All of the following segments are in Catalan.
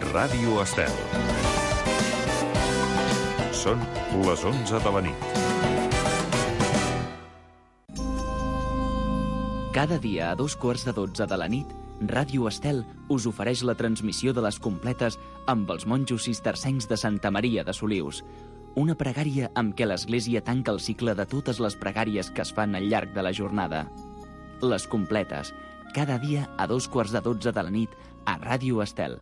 Ràdio Estel. Són les 11 de la nit. Cada dia a 2:15 de la nit, Ràdio Estel us ofereix la transmissió de les completes amb els monjos cistercencs de Santa Maria de Solius. Una pregària amb què l'Església tanca el cicle de totes les pregàries que es fan al llarg de la jornada. Les completes, cada dia a 2:15 de la nit a Ràdio Estel.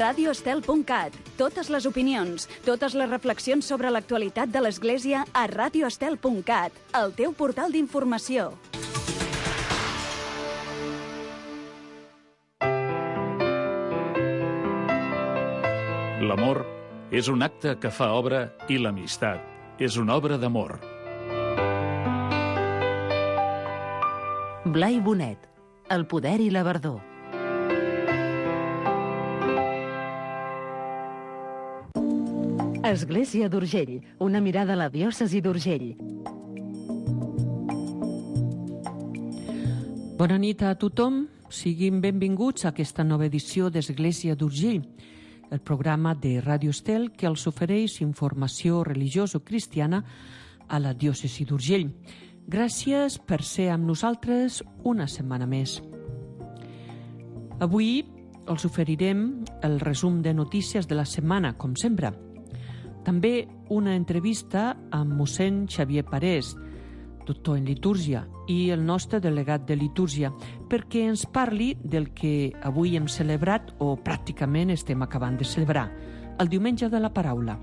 radioestel.cat. Totes les opinions, totes les reflexions sobre l'actualitat de l'Església a radioestel.cat, el teu portal d'informació. L'amor és un acte que fa obra i l'amistat és una obra d'amor. Blai Bonet, el poder i la verdor. Església d'Urgell, una mirada a la diòcesi d'Urgell. Bona nit a tothom, siguin benvinguts a aquesta nova edició d'Església d'Urgell, el programa de Ràdio Estel que els ofereix informació religioso-cristiana a la diòcesi d'Urgell. Gràcies per ser amb nosaltres una setmana més. Avui els oferirem el resum de notícies de la setmana, com sempre. També una entrevista amb mossèn Xavier Parés, doctor en litúrgia, i el nostre delegat de litúrgia, perquè ens parli del que avui hem celebrat, o pràcticament estem acabant de celebrar, el Diumenge de la Paraula.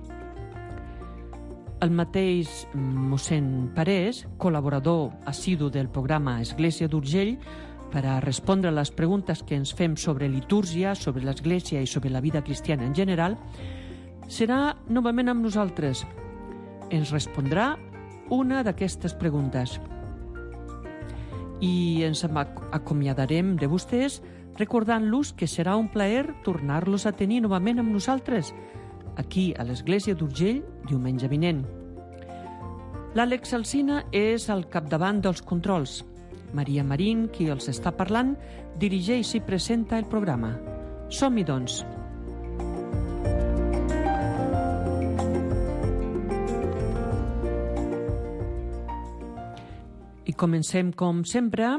El mateix mossèn Parés, col·laborador assidu del programa Església d'Urgell, per a respondre a les preguntes que ens fem sobre litúrgia, sobre l'Església i sobre la vida cristiana en general, serà novament amb nosaltres. Ens respondrà una d'aquestes preguntes. I ens acomiadarem de vostès recordant-los que serà un plaer tornar-los a tenir novament amb nosaltres, aquí a l'Església d'Urgell, diumenge vinent. L'Àlex Alsina és al capdavant dels controls. Maria Marín, qui els està parlant, dirigeix i presenta el programa. Som-hi, doncs. I comencem, com sempre,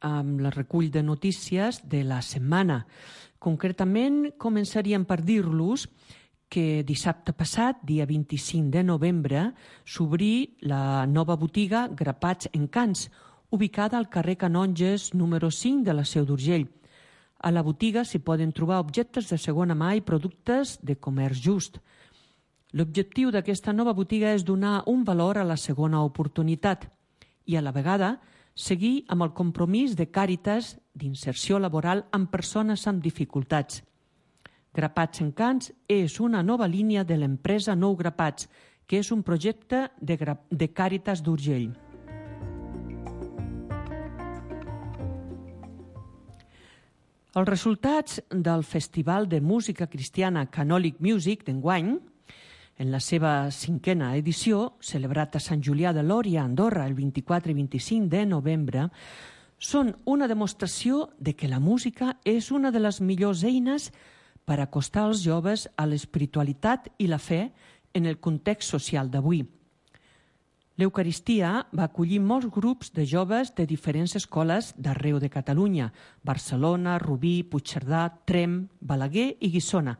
amb el recull de notícies de la setmana. Concretament, començaríem per dir-los que dissabte passat, dia 25 de novembre, s'obrí la nova botiga Grapats Encants, ubicada al carrer Canonges número 5 de la Seu d'Urgell. A la botiga s'hi poden trobar objectes de segona mà i productes de comerç just. L'objectiu d'aquesta nova botiga és donar un valor a la segona oportunitat i a la vegada seguir amb el compromís de Càritas d'inserció laboral amb persones amb dificultats. Grapats Encants és una nova línia de l'empresa Nou Grapats, que és un projecte de Càritas d'Urgell. Els resultats del Festival de Música Cristiana Canòlic Music d'enguany, en la seva 5a edició, celebrat a Sant Julià de Lòria, Andorra, el 24 i 25 de novembre, són una demostració de que la música és una de les millors eines per acostar els joves a l'espiritualitat i la fe en el context social d'avui. L'Eucaristia va acollir molts grups de joves de diferents escoles d'arreu de Catalunya, Barcelona, Rubí, Puigcerdà, Tremp, Balaguer i Guissona,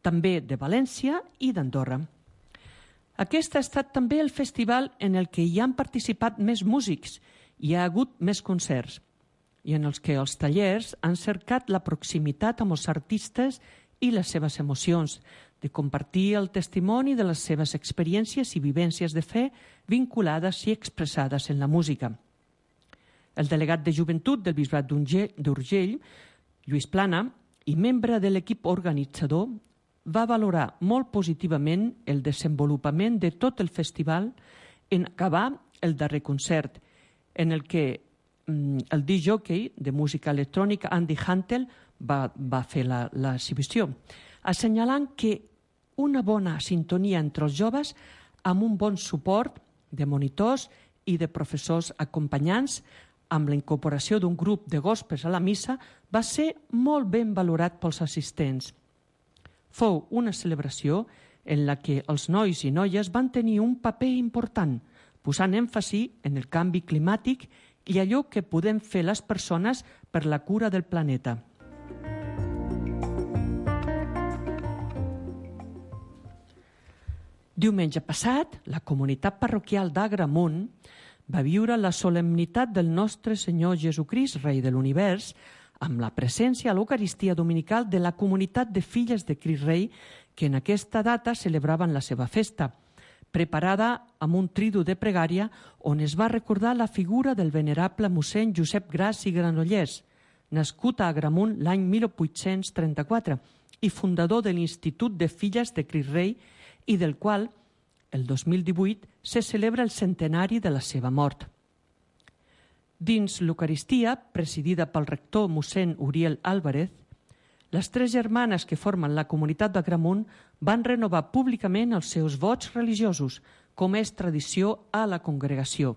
també de València i d'Andorra. Aquest ha estat també el festival en el que hi han participat més músics, hi ha hagut més concerts, i en els que els tallers han cercat la proximitat amb els artistes i les seves emocions, de compartir el testimoni de les seves experiències i vivències de fe vinculades i expressades en la música. El delegat de joventut del Bisbat d'Urgell, Lluís Plana, i membre de l'equip organitzador, va valorar molt positivament el desenvolupament de tot el festival en acabar el darrer concert, en el que el disc-jockey de música electrònica Andy Hantel va fer l'exhibició, assenyalant que una bona sintonia entre els joves amb un bon suport de monitors i de professors acompanyants, amb la incorporació d'un grup de gospes a la missa, va ser molt ben valorat pels assistents. Fou una celebració en la que els nois i noies van tenir un paper important, posant èmfasi en el canvi climàtic i allò que podem fer les persones per la cura del planeta. Diumenge passat, la comunitat parroquial d'Agramunt va viure la solemnitat del nostre Senyor Jesucrist, Rei de l'Univers, amb la presència a l'Eucaristia dominical de la comunitat de filles de Crist Rei que en aquesta data celebraven la seva festa, preparada amb un tridu de pregària on es va recordar la figura del venerable mossèn Josep Gras i Granollers, nascut a Agramunt l'any 1834 i fundador de l'Institut de Filles de Crist Rei i del qual, el 2018, se celebra el centenari de la seva mort. Dins l'Eucaristia, presidida pel rector mossèn Uriel Álvarez, les 3 germanes que formen la comunitat d'Agramunt van renovar públicament els seus vots religiosos, com és tradició a la congregació.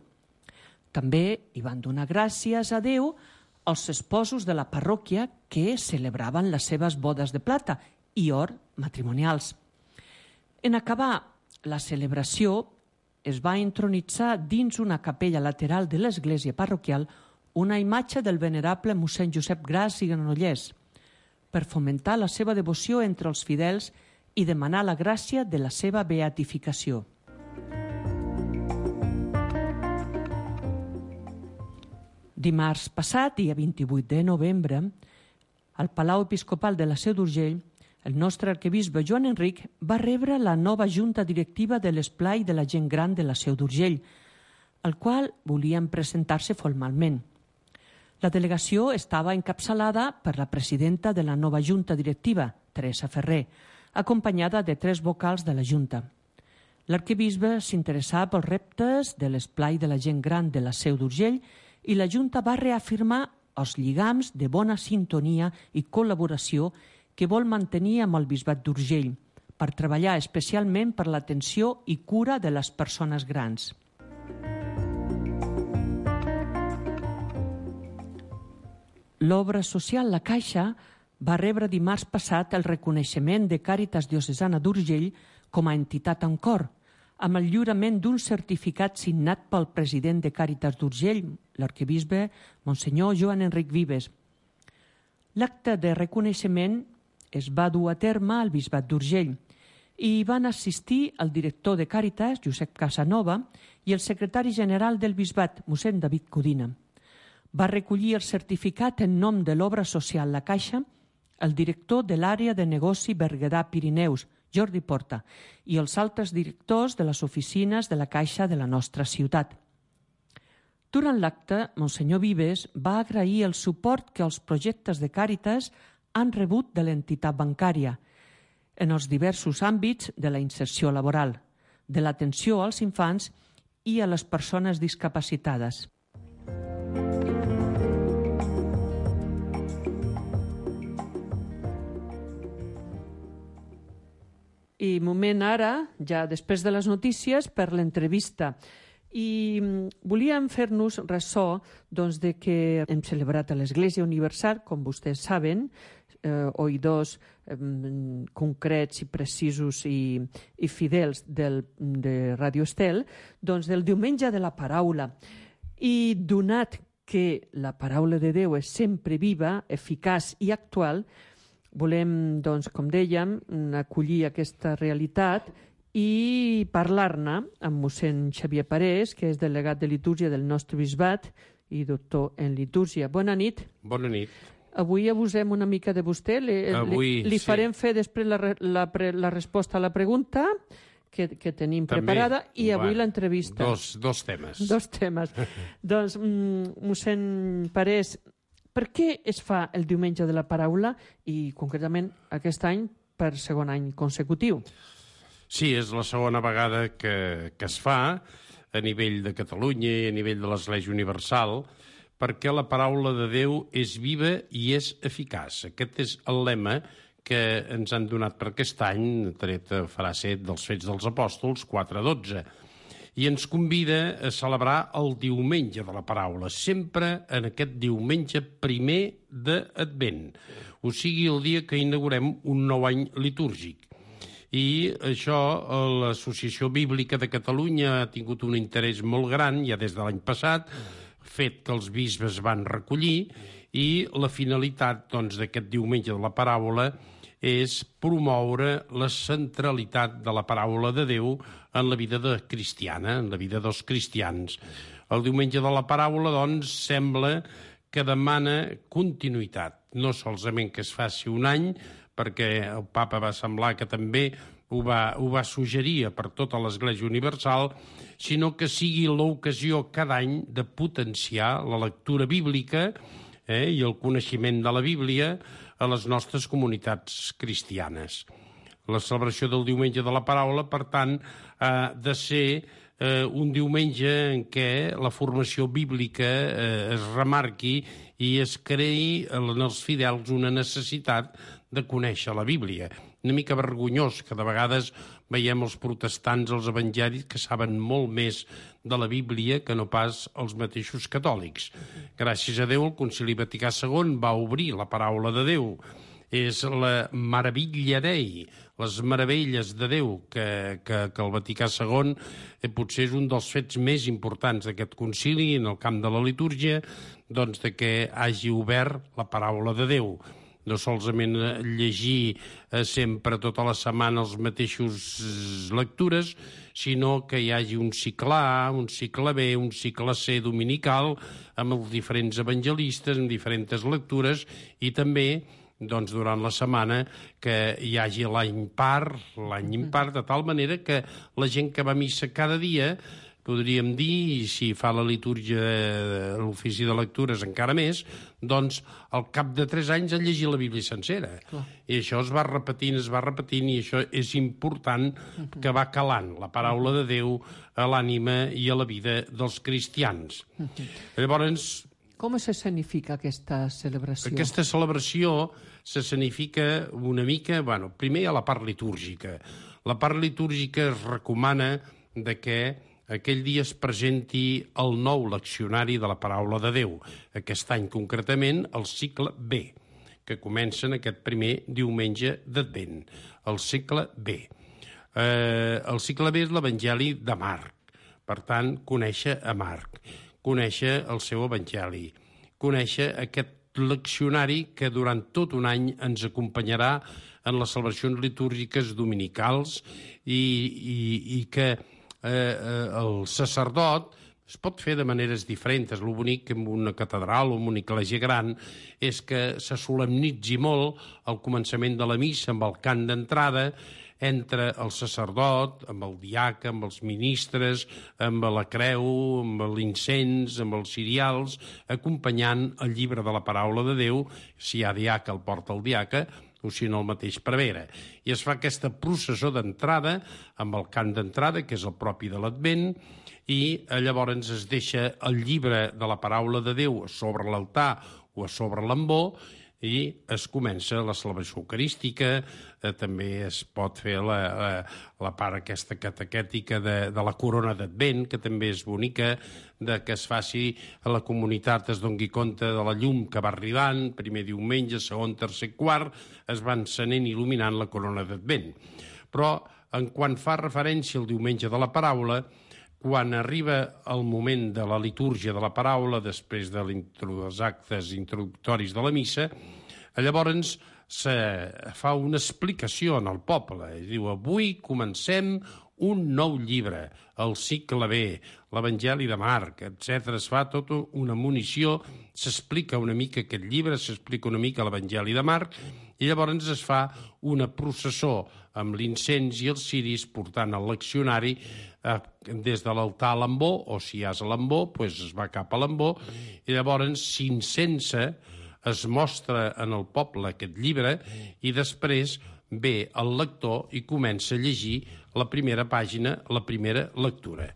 També hi van donar gràcies a Déu als esposos de la parròquia que celebraven les seves bodes de plata i or matrimonials. En acabar la celebració, es va entronitzar dins una capella lateral de l'església parroquial una imatge del venerable mossèn Josep Gras i Granollers, per fomentar la seva devoció entre els fidels i demanar la gràcia de la seva beatificació. Dimarts passat, dia 28 de novembre, al Palau Episcopal de la Seu d'Urgell, el nostre arquebisbe Joan Enric va rebre la nova junta directiva de l'Esplai de la Gent Gran de la Seu d'Urgell, al qual volien presentar-se formalment. La delegació estava encapçalada per la presidenta de la nova junta directiva, Teresa Ferrer, acompanyada de 3 vocals de la junta. L'arquebisbe s'interessava pels reptes de l'Esplai de la Gent Gran de la Seu d'Urgell i la junta va reafirmar els lligams de bona sintonia i col·laboració que vol mantenir amb el bisbat d'Urgell per treballar especialment per l'atenció i cura de les persones grans. L'obra social La Caixa va rebre dimarts passat el reconeixement de Càritas Diocesana d'Urgell com a entitat en cor, amb el lliurament d'un certificat signat pel president de Càritas d'Urgell, l'arquebisbe Monsenyor Joan Enric Vives. L'acte de reconeixement es va dur a terme al bisbat d'Urgell i hi van assistir el director de Càritas, Josep Casanova, i el secretari general del bisbat, mossèn David Codina. Va recollir el certificat en nom de l'obra social La Caixa el director de l'àrea de negoci Berguedà Pirineus, Jordi Porta, i els altres directors de les oficines de la Caixa de la nostra ciutat. Durant l'acte, Monsenyor Vives va agrair el suport que els projectes de Càritas han rebut de l'entitat bancària en els diversos àmbits de la inserció laboral, de l'atenció als infants i a les persones discapacitades. I moment ara, ja després de les notícies, per l'entrevista. I volíem fer-nos ressò de que hem celebrat a l'Església Universal, com vostès saben, oïdors concrets i precisos i fidels de Radio Estel, del diumenge de la paraula. I donat que la paraula de Déu és sempre viva, eficaç i actual, volem, com dèiem, acollir aquesta realitat i parlar-ne amb mossèn Xavier Parés, que és delegat de litúrgia del nostre bisbat i doctor en litúrgia. Bona nit. Bona nit. Avui abusem una mica de vostè. Li farem fer després la resposta a la pregunta que tenim preparada i avui l'entrevista. Dos temes. Dos temes. Doncs, mossèn Parés, per què es fa el diumenge de la paraula i concretament aquest any per segon any consecutiu? Sí, és la segona vegada que es fa a nivell de Catalunya i a nivell de l'Església Universal, perquè la paraula de Déu és viva i és eficaç. Aquest és el lema que ens han donat per aquest any, tret farà ser dels Fets dels Apòstols, 4:12, i ens convida a celebrar el diumenge de la paraula, sempre en aquest diumenge primer d'Advent, o sigui, el dia que inaugurem un nou any litúrgic. I això, l'Associació Bíblica de Catalunya ha tingut un interès molt gran, ja des de l'any passat, fet que els bisbes van recollir, i la finalitat d'aquest diumenge de la paraula és promoure la centralitat de la paraula de Déu en la vida cristiana, en la vida dels cristians. El diumenge de la paraula, sembla que demana continuïtat, no solament que es faci un any, perquè el papa va semblar que també ho va suggerir per tota l'Església Universal, sinó que sigui l'ocasió cada any de potenciar la lectura bíblica i el coneixement de la Bíblia a les nostres comunitats cristianes. La celebració del diumenge de la paraula, per tant, ha de ser un diumenge en què la formació bíblica es remarqui i es creï en els fidels una necessitat de conèixer la Bíblia. Una mica vergonyós que de vegades veiem els protestants, els evangelis, que saben molt més de la Bíblia que no pas els mateixos catòlics. Gràcies a Déu, el Concili Vaticà II va obrir la paraula de Déu. És la Maravilla Dei, les meravelles de Déu, que el Vaticà II potser és un dels fets més importants d'aquest concili en el camp de la litúrgia, de que hagi obert la paraula de Déu. No solament llegir sempre tota la setmana els mateixos lectures, sinó que hi hagi un cicle A, un cicle B, un cicle C dominical, amb els diferents evangelistes, amb diferents lectures, i també durant la setmana que hi hagi l'any impar, de tal manera que la gent que va a missa cada dia, podríem dir, i si fa la litúrgia, l'ofici de lectures encara més, al cap de 3 anys ha llegit la Bíblia sencera. I això es va repetint, i això és important, que va calant la paraula de Déu a l'ànima i a la vida dels cristians. Llavors, com s'escenifica aquesta celebració? Aquesta celebració s'escenifica una mica, primer a la part litúrgica. La part litúrgica es recomana que aquell dia es presenti el nou leccionari de la paraula de Déu. Aquest any, concretament, el cicle B, que comença en aquest primer diumenge d'Advent. El cicle B. El cicle B és l'Evangeli de Marc. Per tant, conèixer a Marc, conèixer el seu Evangeli, conèixer aquest leccionari que durant tot un any ens acompanyarà en les celebracions litúrgiques dominicals i que el sacerdot es pot fer de maneres diferents. El bonic en una catedral o en una església gran és que se solemnitzi molt el començament de la missa amb el cant d'entrada, entre el sacerdot, amb el diaca, amb els ministres, amb la creu, amb l'incens, amb els cirials, acompanyant el llibre de la paraula de Déu. Si hi ha diaca, el porta el diaca, o si no el mateix prevere. I es fa aquesta processó d'entrada, amb el cant d'entrada, que és el propi de l'Advent, i llavors es deixa el llibre de la paraula de Déu sobre l'altar o a sobre l'ambó, i es comença la celebració eucarística. També es pot fer la part aquesta catequètica de la corona d'Advent, que també és bonica, que es faci a la comunitat, es doni compte de la llum que va arribant, primer diumenge, segon, tercer, quart, es va encenent i il·luminant la corona d'Advent. Però, en quan fa referència al diumenge de la paraula, quan arriba el moment de la litúrgia de la paraula, després dels actes introductoris de la missa, llavors se fa una explicació en el poble. Diu, avui comencem un nou llibre, el cicle B, l'Evangeli de Marc, etc. Es fa tota una munició, s'explica una mica aquest llibre, s'explica una mica l'Evangeli de Marc, i llavors es fa una processó amb l'incens i els ciris portant el leccionari des de l'altar a l'ambó, o si hi has a l'ambó, doncs es va cap a l'ambó, i llavors s'incensa es mostra en el poble aquest llibre i després ve el lector i comença a llegir la primera pàgina, la primera lectura.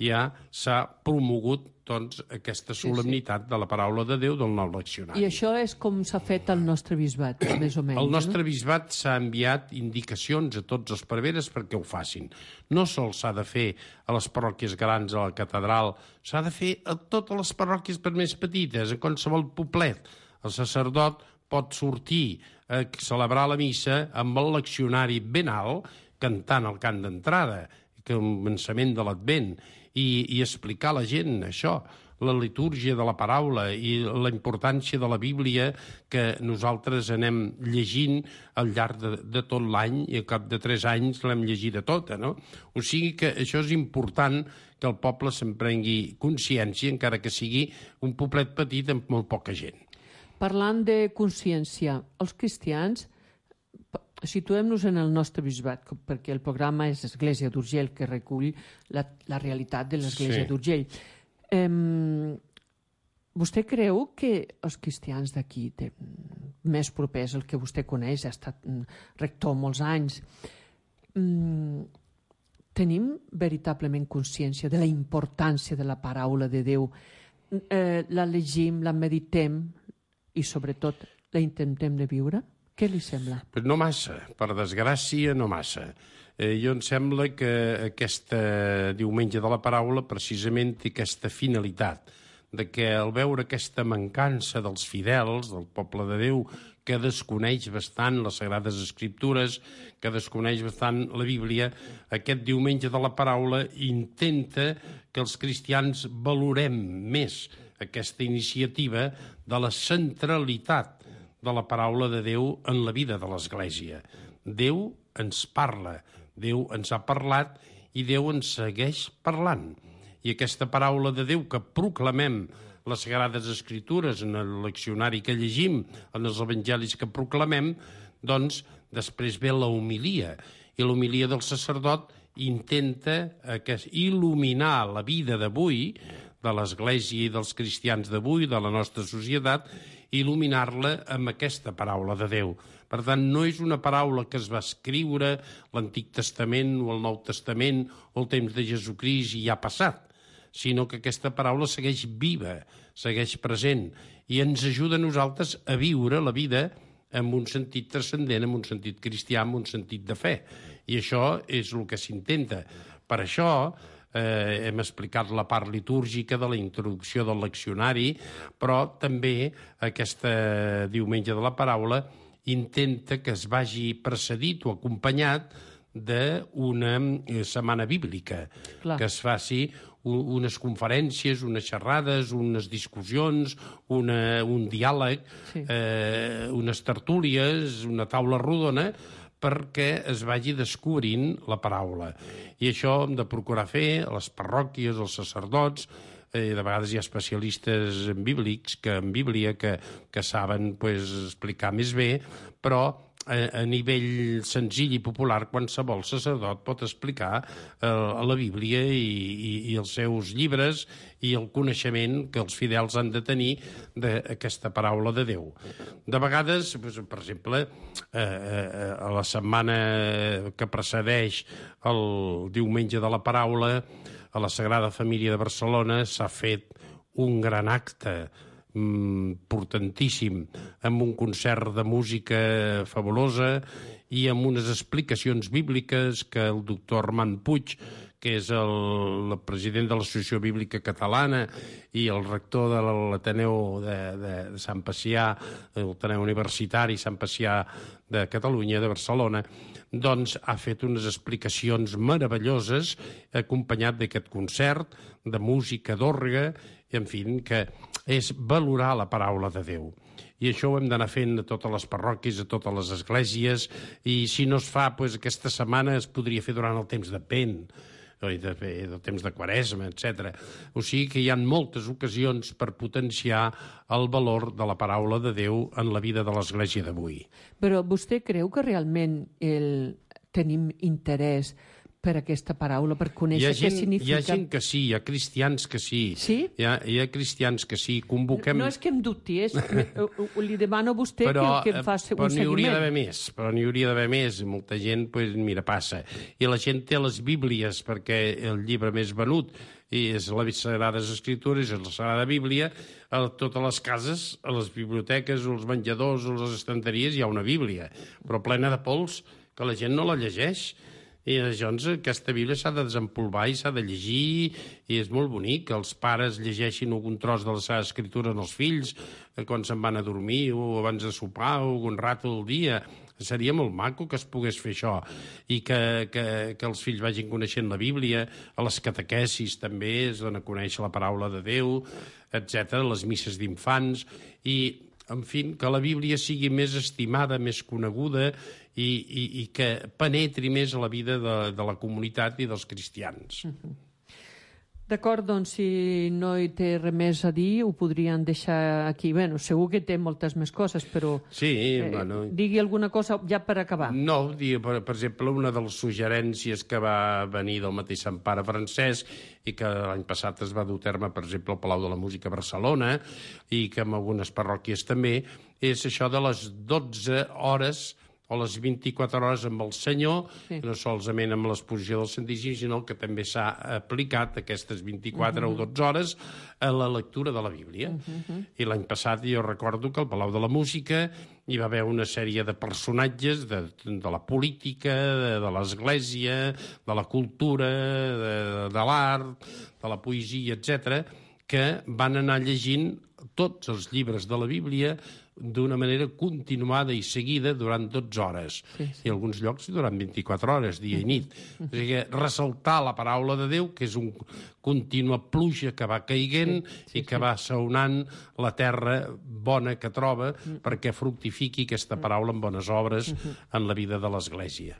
Ja s'ha promogut doncs, aquesta solemnitat de la paraula de Déu del nou leccionari. I això és com s'ha fet al nostre bisbat, més o menys. Al nostre bisbat s'ha enviat indicacions a tots els preveres perquè ho facin. No sols s'ha de fer a les parròquies grans, a la catedral, s'ha de fer a totes les parròquies per més petites, a qualsevol poblet. El sacerdot pot sortir a celebrar la missa amb el leccionari ben alt, cantant el cant d'entrada, que el començament de l'Advent, i explicar a la gent això, la litúrgia de la paraula i la importància de la Bíblia que nosaltres anem llegint al llarg de tot l'any i al cap de 3 anys l'hem llegida tota, no? O sigui que això és important que el poble se'n prengui consciència, encara que sigui un poblet petit amb molt poca gent. Parlant de consciència, els cristians, situem-nos en el nostre bisbat, perquè el programa és Església d'Urgell, que recull la realitat de l'Església d'Urgell. Vostè creu que els cristians d'aquí, més propers, el que vostè coneix, ha estat rector molts anys, tenim veritablement consciència de la importància de la paraula de Déu? La llegim, la meditem i, sobretot, la intentem de viure? Què li sembla? Pues no massa, per desgràcia, no massa. Jo em sembla que aquest diumenge de la paraula precisament té aquesta finalitat, de que al veure aquesta mancança dels fidels, del poble de Déu, que desconeix bastant les Sagrades Escriptures, que desconeix bastant la Bíblia, aquest diumenge de la paraula intenta que els cristians valorem més aquesta iniciativa de la centralitat de la paraula de Déu en la vida de l'Església. Déu ens parla, Déu ens ha parlat i Déu ens segueix parlant. I aquesta paraula de Déu que proclamem les Sagrades Escritures en el leccionari que llegim, en els evangelis que proclamem, doncs després ve la homilia. I l'homilia del sacerdot intenta il·luminar la vida d'avui, de l'Església i dels cristians d'avui, de la nostra societat, il·luminar-la amb aquesta paraula de Déu. Per tant, no és una paraula que es va escriure l'Antic Testament o el Nou Testament o el temps de Jesucrist i ja ha passat, sinó que aquesta paraula segueix viva, segueix present i ens ajuda a nosaltres a viure la vida en un sentit transcendent, en un sentit cristià, en un sentit de fe. I això és el que s'intenta. Per això hem explicat la part litúrgica de la introducció del leccionari, però també aquesta diumenge de la paraula intenta que es vagi precedit o acompanyat d'una setmana bíblica, que es faci unes conferències, unes xerrades, unes discussions, un diàleg, unes tertúlies, una taula rodona, perquè es vagi descobrint la paraula. I això hem de procurar fer a les parròquies, als sacerdots, de vegades hi ha especialistes en Bíblia que saben explicar més bé, però a nivell senzill i popular qualsevol sacerdot pot explicar la Bíblia i els seus llibres i el coneixement que els fidels han de tenir d'aquesta paraula de Déu. De vegades, per exemple, a la setmana que precedeix el diumenge de la paraula, a la Sagrada Família de Barcelona s'ha fet un gran acte importantíssim, amb un concert de música fabulosa i amb unes explicacions bíbliques que el doctor Armand Puig, que és el president de l'Associació Bíblica Catalana i el rector de l'Ateneu de Sant Pacià, l'Ateneu Universitari Sant Pacià de Catalunya, de Barcelona, doncs ha fet unes explicacions meravelloses acompanyat d'aquest concert de música d'orgue, en fi, que és valorar la paraula de Déu. I això ho hem d'anar fent a totes les parròquies, a totes les esglésies, i si no es fa, aquesta setmana es podria fer durant el temps d'Advent, del temps de Quaresma, etc. O sigui que hi ha moltes ocasions per potenciar el valor de la paraula de Déu en la vida de l'Església d'avui. Però vostè creu que realment tenim interès per aquesta paraula, per conèixer què significa? Hi ha gent que sí, hi ha cristians que sí. Sí? Hi ha cristians que sí. Convoquem... No és que em dubti, li demano a vostè que em faci un seguiment. Però n'hi hauria d'haver més. Molta gent, mira, passa. I la gent té les Bíblies, perquè el llibre més venut és les Sagrades Escritures, és la Sagrada Bíblia. A totes les cases, a les biblioteques, als menjadors, a les estanteries, hi ha una Bíblia, però plena de pols, que la gent no la llegeix. I llavors aquesta Bíblia s'ha de desempolvar i s'ha de llegir, i és molt bonic que els pares llegeixin algun tros de la seva escritura als fills quan se'n van a dormir o abans de sopar o algun rato del dia. Seria molt maco que es pogués fer això i que els fills vagin coneixent la Bíblia, a les catequesis també es dona a conèixer la paraula de Déu, etc., les misses d'infants, i en fi, que la Bíblia sigui més estimada, més coneguda i que penetri més a la vida de la comunitat i dels cristians. D'acord, doncs, si no hi té res més a dir, ho podrien deixar aquí. Bé, segur que té moltes més coses, però sí, bueno, digui alguna cosa ja per acabar. No, per exemple, una de les suggerències que va venir del mateix Sant Pare Francesc i que l'any passat es va dur a terme, per exemple, al Palau de la Música a Barcelona i que en algunes parròquies també, és això de les 12 hores o les 24 hores amb el Senyor, sí. No solament amb l'exposició del Santíssim, sinó que també s'ha aplicat aquestes 24 o 12 hores a la lectura de la Bíblia. I l'any passat jo recordo que al Palau de la Música hi va haver una sèrie de personatges de la política, de l'Església, de la cultura, de l'art, de la poesia, etc., que van anar llegint tots els llibres de la Bíblia d'una manera continuada i seguida durant 12 hores. Sí. I en alguns llocs durant 24 hores, dia i nit. O sigui, ressaltar la paraula de Déu, que és un contínua pluja que va caiguent i que va saonant la terra bona que troba perquè fructifiqui aquesta paraula en bones obres en la vida de l'Església.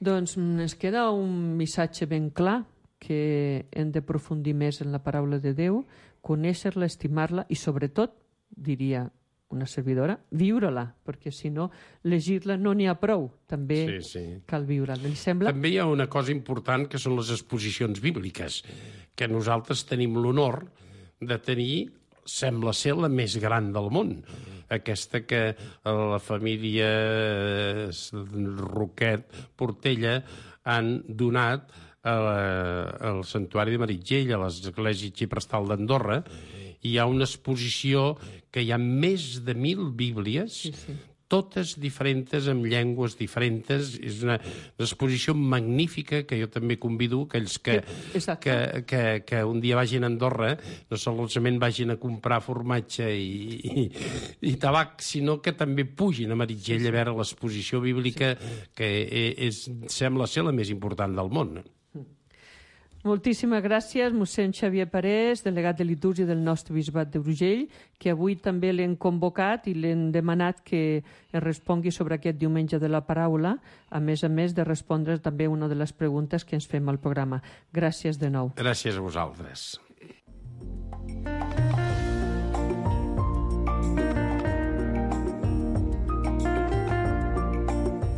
Doncs ens queda un missatge ben clar, que hem d'aprofundir més en la paraula de Déu, conèixer-la, estimar-la i, sobretot, diria una servidora, viure-la, perquè si no, llegir-la no n'hi ha prou, també cal viure-la. Li sembla? També hi ha una cosa important que són les exposicions bíbliques, que nosaltres tenim l'honor de tenir, sembla ser la més gran del món. Aquesta que la família Roquet Portella han donat al Santuari de Meritxell, a l'Església Xiprestal d'Andorra. Hi ha una exposició que hi ha més de 1.000 bíblies, totes diferents, amb llengües diferents. És una exposició magnífica que jo també convido aquells que un dia vagin a Andorra, no solament vagin a comprar formatge i tabac, sinó que també pugin a Meritxell a veure l'exposició bíblica, que sembla ser la més important del món. Moltíssimes gràcies, mossèn Xavier Parés, delegat de litúrgia del nostre bisbat d'Urgell, que avui també l'hem convocat i l'hem demanat que es respongui sobre aquest diumenge de la paraula, a més de respondre també una de les preguntes que ens fem al programa. Gràcies de nou. Gràcies a vosaltres.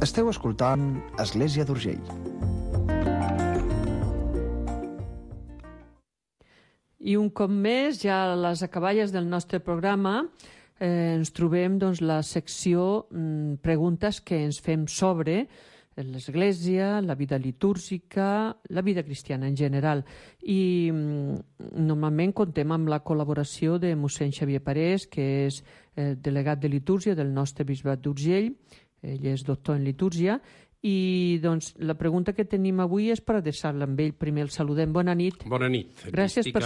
Esteu escoltant Església d'Urgell. I un cop més, ja a les acaballes del nostre programa, ens trobem la secció preguntes que ens fem sobre l'Església, la vida litúrgica, la vida cristiana en general. I normalment contem amb la col·laboració de mossèn Xavier Parés, que és delegat de litúrgia del nostre bisbat d'Urgell. Ell és doctor en litúrgia. I doncs la pregunta que tenim avui és per adreçar-la amb ell. Primer el saludem. Bona nit. Bona nit. Gràcies per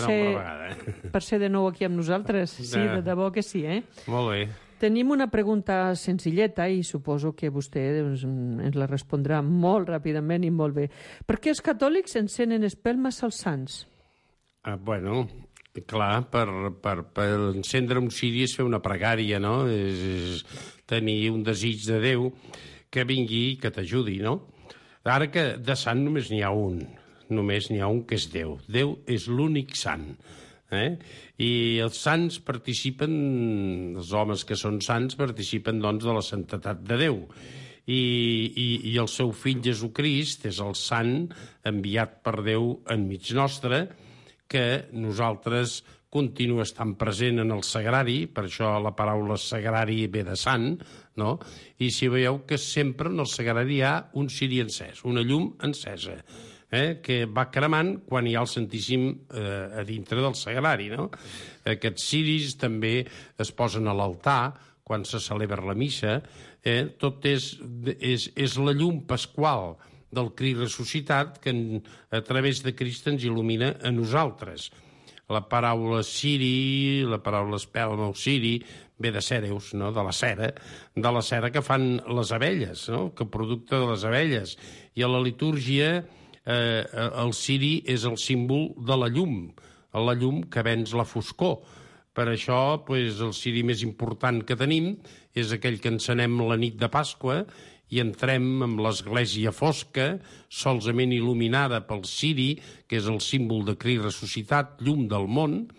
ser de nou aquí amb nosaltres. Sí, de debò que sí, Molt bé. Tenim una pregunta senzilleta i suposo que vostè ens la respondrà molt ràpidament i molt bé. Per què els catòlics encenen espelmes als sants? Bueno, clar, per encendre un ciri és fer una pregària, no? És tenir un desig de Déu que vingui i que t'ajudi, no? Ara que de sant només n'hi ha un, que és Déu. Déu és l'únic sant. I els sants participen, els homes que són sants participen, doncs, de la santetat de Déu. i el seu fill Jesucrist és el sant enviat per Déu enmig nostre, que nosaltres continua estant present en el sagrari, per això la paraula sagrari ve de sant, no? I si veieu que sempre en el sagrari hi ha un ciri encès, una llum encesa, que va cremant quan hi ha el Santíssim a dintre del sagrari, no? Aquests ciris també es posen a l'altar quan se celebra la missa. Tot és la llum pasqual del Crist ressuscitat que a través de Crist ens il·lumina a nosaltres. La paraula ciri, la paraula espelma o ciri, ve de cereus, no? De la cera que fan les abelles, no? Que producte de les abelles. I a la litúrgia el ciri és el símbol de la llum que venç la foscor. Per això, el ciri més important que tenim és aquell que encenem la nit de Pasqua i entrem amb l'església fosca, solament il·luminada pel ciri, que és el símbol de Crist ressuscitat, llum del món,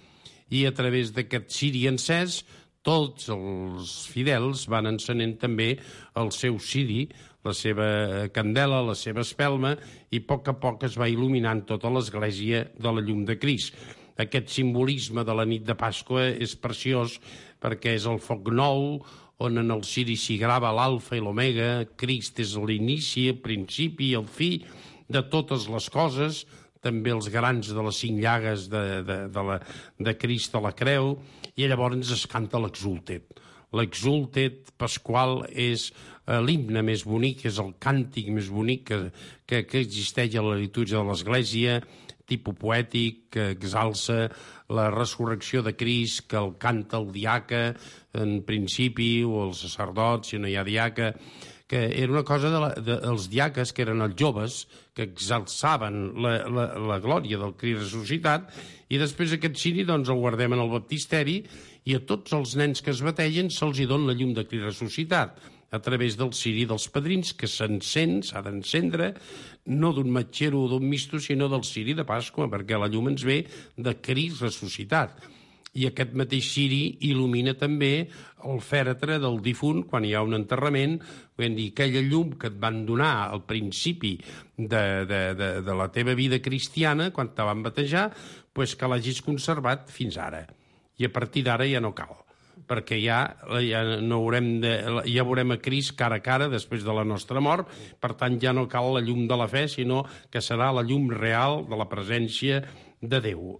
i a través d'aquest ciri encès tots els fidels van encenent també el seu ciri, la seva candela, la seva espelma, i a poc es va il·luminant tota l'església de la llum de Crist. Aquest simbolisme de la nit de Pasqua és preciós perquè és el foc nou, on en el ciri s'hi grava l'alfa i l'omega, Crist és l'inici, el principi i el fi de totes les coses, també els grans de les 5 llagues de Crist a la creu, i llavors es canta l'Exultet. L'Exultet pasqual és l'himne més bonic, és el càntic més bonic que existeix a la litúrgia de l'Església, tipus poètic, que exalça la resurrecció de Crist, que el canta el diaca en principi, o el sacerdot, si no hi ha diaca, que era una cosa dels diaques, que eren els joves, que exalçaven la glòria del Crist ressuscitat, i després aquest ciri el guardem en el baptisteri, i a tots els nens que es bategen se'ls hi dona la llum de Crist ressuscitat, a través del ciri dels padrins, que s'ha d'encendre, no d'un matxero o d'un misto, sinó del ciri de Pasqua, perquè la llum ens ve de Crist ressuscitat. I aquest mateix ciri il·lumina també el fèretre del difunt quan hi ha un enterrament, vull dir, aquella llum que et van donar al principi de la teva vida cristiana, quan te van batejar, que l'hagis conservat fins ara. I a partir d'ara ja no cal, perquè ja veurem a Crist cara a cara després de la nostra mort, per tant ja no cal la llum de la fe, sinó que serà la llum real de la presència de Déu.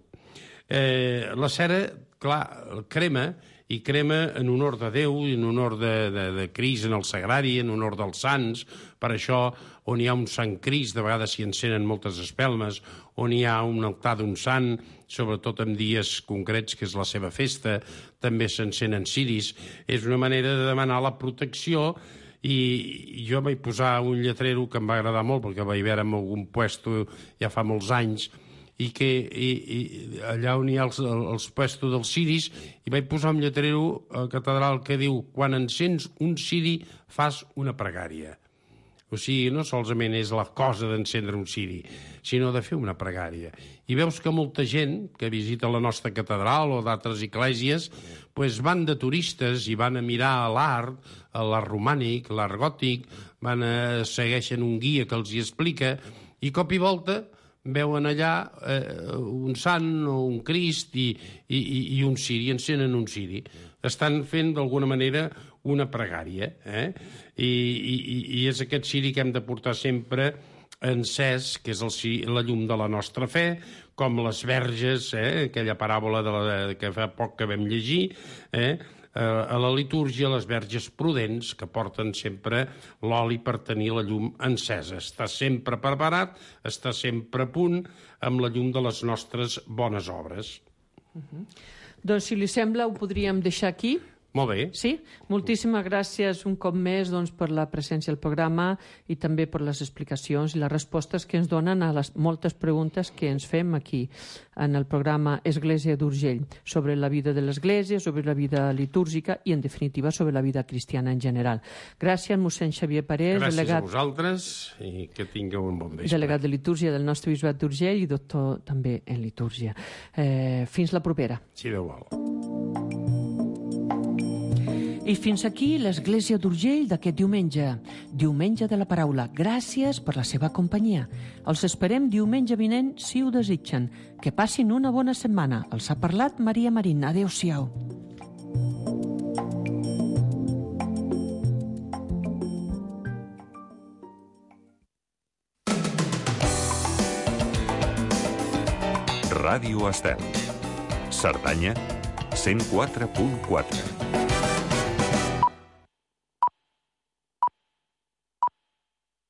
La cera, clar, crema, i crema en honor de Déu, en honor de Crist en el sagrari, en honor dels sants. Per això, on hi ha un sant Crist, de vegades s'hi encenen moltes espelmes, on hi ha un altar d'un sant, sobretot en dies concrets, que és la seva festa, també s'encenen ciris. És una manera de demanar la protecció, i jo vaig posar un lletrero que em va agradar molt, perquè vaig veure en algun puesto ja fa molts anys, i allà on hi ha els puestos dels ciris, i vaig posar un lletrero a la catedral que diu: quan encens un ciri fas una pregària. O sigui, no solament és la cosa d'encendre un ciri, sinó de fer una pregària. I veus que molta gent que visita la nostra catedral o d'altres esglésies van de turistes i van a mirar l'art romànic, l'art gòtic, segueixen un guia que els hi explica, i cop i volta veuen allà un sant o un Crist i un ciri, encenen un ciri. Estan fent d'alguna manera una pregària, i és aquest ciri que hem de portar sempre encès, que és la llum de la nostra fe, com les verges, aquella paràbola que fa poc que vam llegir, a la litúrgia, les verges prudents, que porten sempre l'oli per tenir la llum encesa. Està sempre preparat, està sempre a punt amb la llum de les nostres bones obres. Doncs, si li sembla, ho podríem deixar aquí. Molt bé. Sí? Moltíssimes gràcies un cop més per la presència al programa i també per les explicacions i les respostes que ens donen a les moltes preguntes que ens fem aquí en el programa Església d'Urgell, sobre la vida de l'Església, sobre la vida litúrgica i, en definitiva, sobre la vida cristiana en general. Gràcies, mossèn Xavier Parés. Gràcies a vosaltres i que tingueu un bon vespre. Delegat de litúrgia del nostre bisbat d'Urgell i doctor també en litúrgia. Fins la propera. Si Déu vol. I fins aquí l'Església d'Urgell d'aquest diumenge. Diumenge de la paraula. Gràcies per la seva companyia. Els esperem diumenge vinent, si ho desitgen. Que passin una bona setmana. Els ha parlat Maria Marín. Adéu-siau. Ràdio Estel. Cerdanya, 104.4.